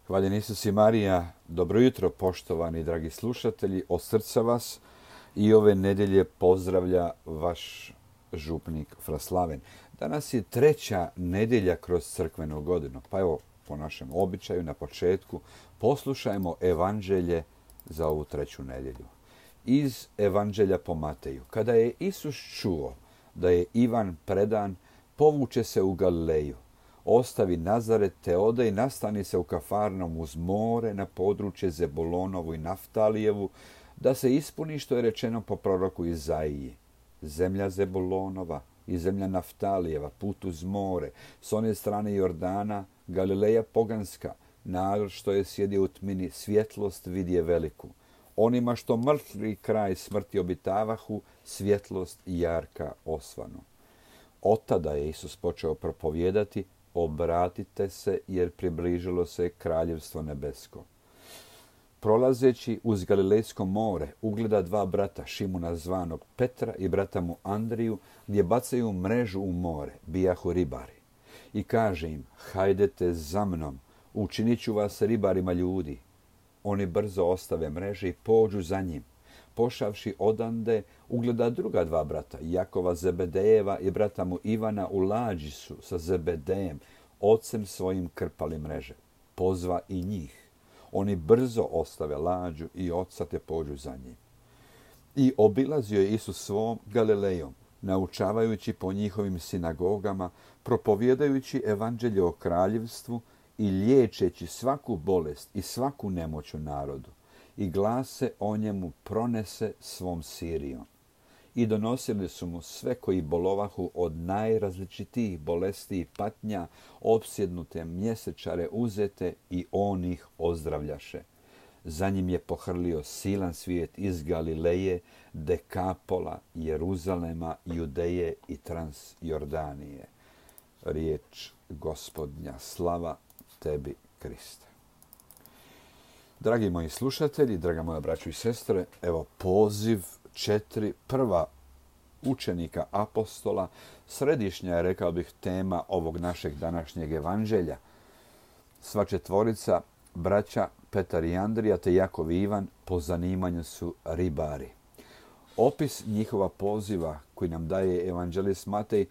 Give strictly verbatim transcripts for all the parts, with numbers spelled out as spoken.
Hvaljen Isus i Marija, dobro jutro poštovani dragi slušatelji, od srca vas i ove nedjelje pozdravlja vaš župnik Fraslaven. Danas je treća nedjelja kroz crkvenu godinu, pa evo po našem običaju na početku poslušajmo evanđelje za ovu treću nedjelju. Iz evanđelja po Mateju. Kada je Isus čuo da je Ivan predan, povuče se u Galileju. Ostavi Nazaret te ode i nastani se u Kafarnom uz more na područje Zebulonovu i Naftalijevu, da se ispuni što je rečeno po proroku Izaiji. Zemlja Zebulonova i zemlja Naftalijeva, put uz more, s one strane Jordana, Galileja poganska, narod što je sjedio u tmini, svjetlost vidje veliku. Onima što mrtvi kraj smrti obitavahu, svjetlost jarka osvanu. Od tada je Isus počeo propovijedati: obratite se, jer približilo se kraljevstvo nebesko. Prolazeći uz Galilejsko more, ugleda dva brata, Šimuna zvanog Petra i brata mu Andriju, gdje bacaju mrežu u more, bijahu ribari. I kaže im: hajdete za mnom, učinit ću vas ribarima ljudi. Oni brzo ostave mreže i pođu za njim. Pošavši odande, ugleda druga dva brata, Jakova Zebedejeva i brata mu Ivana, u lađi su sa Zebedejem, ocem svojim krpali mreže. Pozva i njih. Oni brzo ostave lađu i oca te pođu za njim. I obilazio je Isus svom Galilejom, naučavajući po njihovim sinagogama, propovijedajući evanđelje o kraljevstvu i liječeći svaku bolest i svaku nemoć u narodu. I glas se o njemu pronese svom Sirijom. I donosili su mu sve koji bolovahu od najrazličitijih bolesti i patnja, opsjednute mjesečare uzete, i on ih ozdravljaše. Za njim je pohrlio silan svijet iz Galileje, Dekapola, Jeruzalema, Judeje i Transjordanije. Riječ Gospodnja, slava tebi, Kriste. Dragi moji slušatelji, draga moja braćo i sestre, evo poziv četiri prva učenika apostola, središnja je, rekao bih, tema ovog našeg današnjeg evanđelja. Sva četvorica, braća Petar i Andrija te Jakov i Ivan, po zanimanju su ribari. Opis njihova poziva koji nam daje evanđelist Matej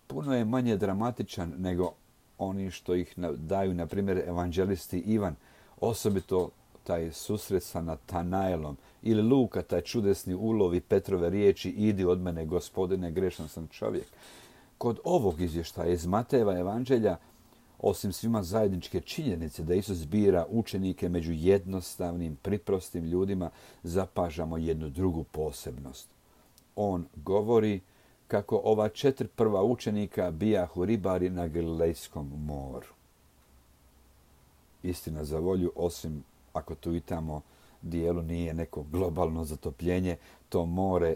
puno je manje dramatičan nego oni što ih daju, na primjer, evanđelisti Ivan, osobito taj susret sa Natanaelom, ili Luka, taj čudesni ulov i Petrove riječi: idi od mene, Gospodine, grešan sam čovjek. Kod ovog izvještaja iz Matejeva evanđelja, osim svima zajedničke činjenice da Isus bira učenike među jednostavnim, priprostim ljudima, zapažamo jednu drugu posebnost. On govori kako ova četiri prva učenika bijahu ribari na Galilejskom moru. Istina za volju, osim ako tu i tamo dijelu nije neko globalno zatopljenje, to more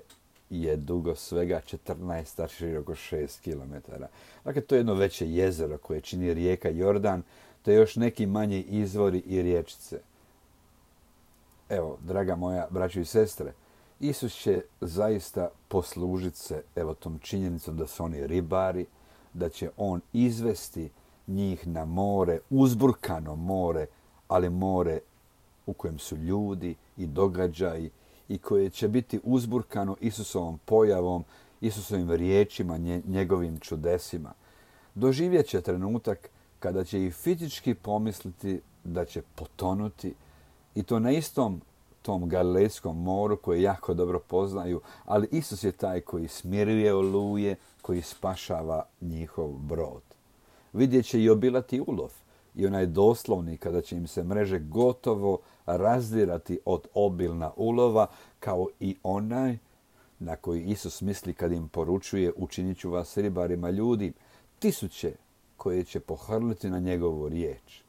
je dugo svega četrnaest, a široko šest kilometara. Dakle, to je jedno veće jezero koje čini rijeka Jordan, te još neki manji izvori i riječice. Evo, draga moja braćo i sestre, Isus će zaista poslužiti se evo tom činjenicom da su oni ribari, da će on izvesti njih na more, uzburkano more, ali more u kojem su ljudi i događaji i koje će biti uzburkano Isusovom pojavom, Isusovim riječima, njegovim čudesima. Doživjet će trenutak kada će i fizički pomisliti da će potonuti, i to na istom tom Galilejskom moru koje jako dobro poznaju, ali Isus je taj koji smiruje oluje, koji spašava njihov brod. Vidjet će i obilati ulov, i onaj doslovni kada će im se mreže gotovo razdirati od obilna ulova, kao i onaj na koji Isus misli kad im poručuje: učinit ću vas ribarima ljudi, tisuće koje će pohrliti na njegovu riječ.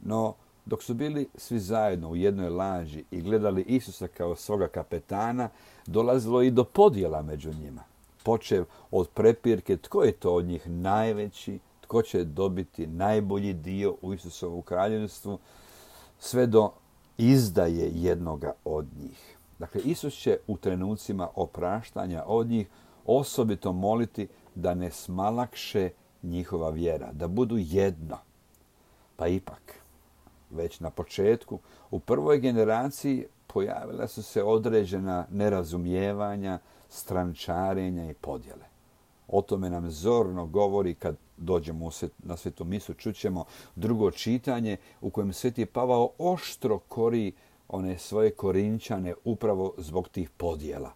No, dok su bili svi zajedno u jednoj lađi i gledali Isusa kao svoga kapetana, dolazilo i do podjela među njima. Počev od prepirke tko je to od njih najveći, tko će dobiti najbolji dio u Isusovu kraljevstvu, sve do izdaje jednoga od njih. Dakle, Isus će u trenucima opraštanja od njih osobito moliti da ne smalakše njihova vjera, da budu jedno. Pa ipak, već na početku, u prvoj generaciji pojavila su se određena nerazumijevanja, strančarenja i podjele. O tome nam zorno govori kad dođemo na Svetu misu, čućemo drugo čitanje u kojem Sveti Pavao oštro kori one svoje Korinčane upravo zbog tih podjela.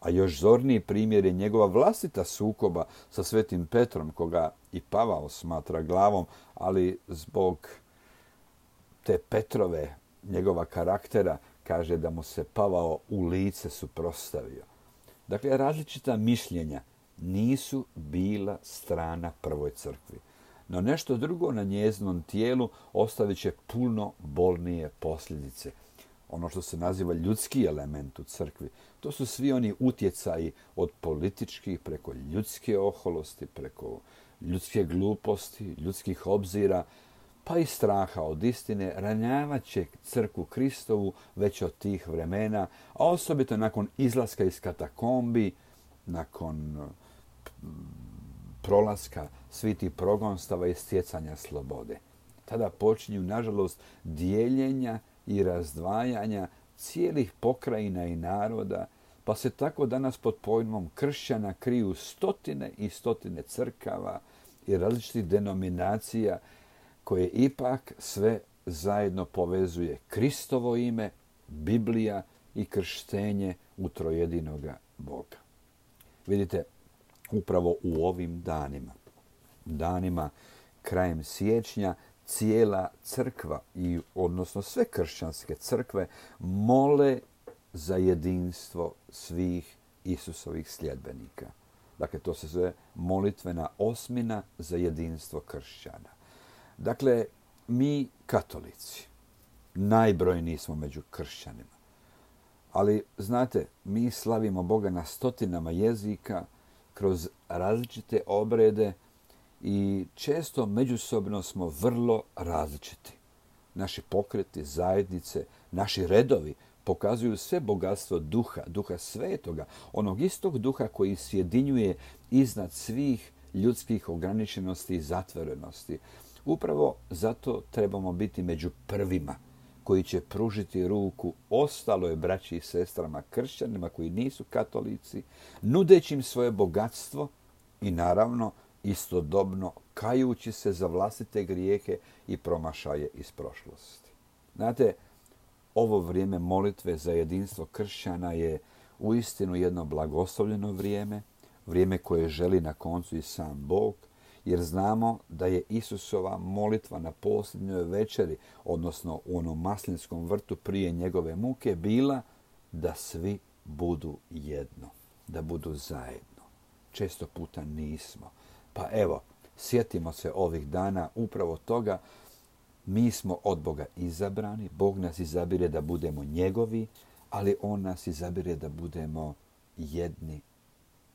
A još zorniji primjer je njegova vlastita sukoba sa Svetim Petrom, koga i Pavao smatra glavom, ali zbog te Petrove, njegova karaktera, kaže da mu se Pavao u lice suprotstavio. Dakle, različita mišljenja nisu bila strana prvoj crkvi. No nešto drugo na njezinom tijelu ostavit će puno bolnije posljedice. Ono što se naziva ljudski element u crkvi, to su svi oni utjecaji od političkih preko ljudske oholosti, preko ljudske gluposti, ljudskih obzira, pa i straha od istine, ranjavat će crkvu Kristovu već od tih vremena, a osobito nakon izlaska iz katakombi, nakon prolaska svih tih progonstava i stjecanja slobode. Tada počinju, nažalost, dijeljenja i razdvajanja cijelih pokrajina i naroda, pa se tako danas pod pojmom kršćana kriju stotine i stotine crkava i različitih denominacija koje ipak sve zajedno povezuje Kristovo ime, Biblija i krštenje u trojedinoga Boga. Vidite, upravo u ovim danima, danima krajem siječnja, cijela crkva, i odnosno sve kršćanske crkve, mole za jedinstvo svih Isusovih sljedbenika. Dakle, to se zove molitvena osmina za jedinstvo kršćana. Dakle, mi katolici najbrojniji smo među kršćanima. Ali, znate, mi slavimo Boga na stotinama jezika, kroz različite obrede i često međusobno smo vrlo različiti. Naši pokreti, zajednice, naši redovi pokazuju sve bogatstvo duha, duha svetoga, onog istog duha koji sjedinjuje iznad svih ljudskih ograničenosti i zatvorenosti. Upravo zato trebamo biti među prvima koji će pružiti ruku ostaloj braći i sestrama kršćanima koji nisu katolici, nudeći im svoje bogatstvo i naravno istodobno kajući se za vlastite grijehe i promašaje iz prošlosti. Znate, ovo vrijeme molitve za jedinstvo kršćana je uistinu jedno blagoslovljeno vrijeme, vrijeme koje želi na koncu i sam Bog, jer znamo da je Isusova molitva na posljednjoj večeri, odnosno u onom maslinskom vrtu prije njegove muke, bila da svi budu jedno, da budu zajedno. Često puta nismo. Pa evo, sjetimo se ovih dana upravo toga. Mi smo od Boga izabrani, Bog nas izabire da budemo njegovi, ali on nas izabire da budemo jedni,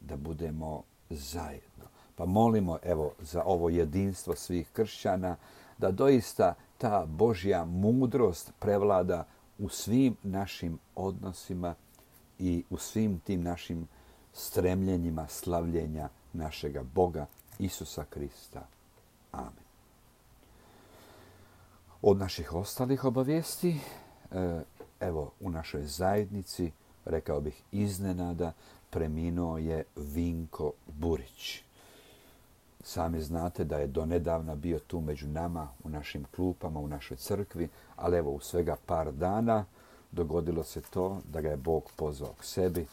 da budemo zajedno. Pa molimo evo za ovo jedinstvo svih kršćana, da doista ta Božja mudrost prevlada u svim našim odnosima i u svim tim našim stremljenjima slavljenja našega Boga Isusa Krista. Amen. Od naših ostalih obavijesti, evo u našoj zajednici, rekao bih iznenada, preminuo je Vinko Burić. Sami znate da je donedavna bio tu među nama, u našim klupama, u našoj crkvi, ali evo u svega par dana dogodilo se to da ga je Bog pozvao k sebi.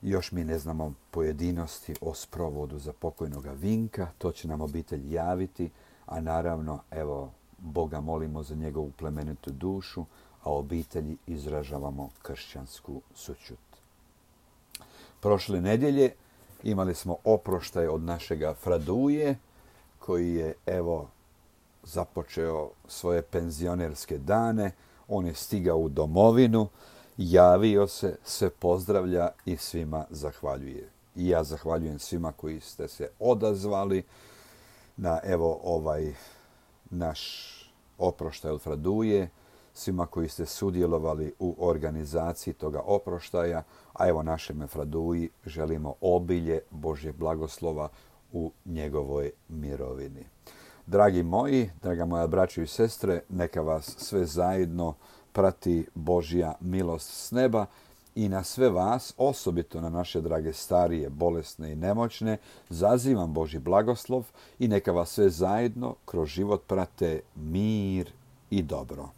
Još mi ne znamo pojedinosti o sprovodu za pokojnoga Vinka, to će nam obitelj javiti, a naravno, evo, Boga molimo za njegovu plemenitu dušu, a obitelji izražavamo kršćansku sućut. Prošle nedjelje imali smo oproštaj od našega Fraduje, koji je, evo, započeo svoje penzionerske dane. On je stigao u domovinu, javio se, sve pozdravlja i svima zahvaljuje. I ja zahvaljujem svima koji ste se odazvali na, evo, ovaj naš oproštaj od Fraduje, svima koji ste sudjelovali u organizaciji toga oproštaja, a evo našem Fraduji želimo obilje Božjeg blagoslova u njegovoj mirovini. Dragi moji, draga moja braćo i sestre, neka vas sve zajedno prati Božja milost s neba i na sve vas, osobito na naše drage starije, bolesne i nemoćne, zazivam Božji blagoslov i neka vas sve zajedno kroz život prate mir i dobro.